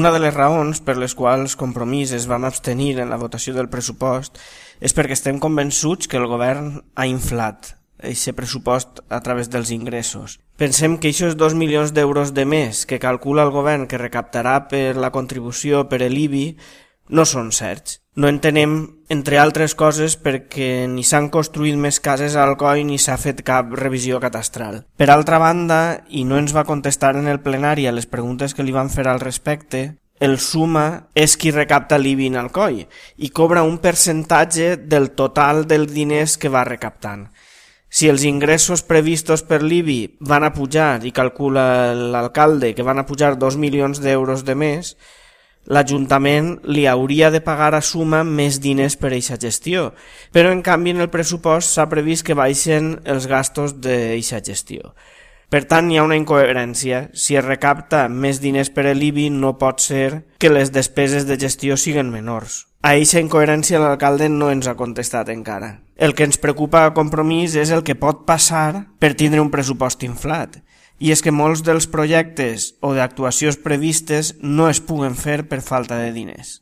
Una de les raons per les quals Compromís es vam abstenir en la votació del pressupost és perquè estem convençuts que el govern ha inflat aquest pressupost a través dels ingressos. Pensem que aquests 2 milions d'euros de més que calcula el govern que recaptarà per la contribució per l'IBI no són certs. No entenem, entre altres coses, perquè ni s'han construït més cases a Alcoi ni s'ha fet cap revisió catastral. Per altra banda, i no ens va contestar en el plenari a les preguntes que li van fer al respecte, el SUMA és qui recapta l'IBI en Alcoi i cobra un percentatge del total dels diners que va recaptant. Si els ingressos previstos per l'IBI van a pujar, i calcula l'alcalde que van a pujar 2 milions d'euros de més, l'Ajuntament li hauria de pagar a SUMA més diners per a aquesta gestió, però en canvi en el pressupost s'ha previst que baixen els gastos d'aquesta gestió. Per tant, hi ha una incoherència. Si es recapta més diners per a l'IBI, no pot ser que les despeses de gestió siguin menors. A aquesta incoherència l'alcalde no ens ha contestat encara. El que ens preocupa a Compromís és el que pot passar per tindre un pressupost inflat. I és que molts dels projectes o d'actuacions previstes no es puguen fer per falta de diners.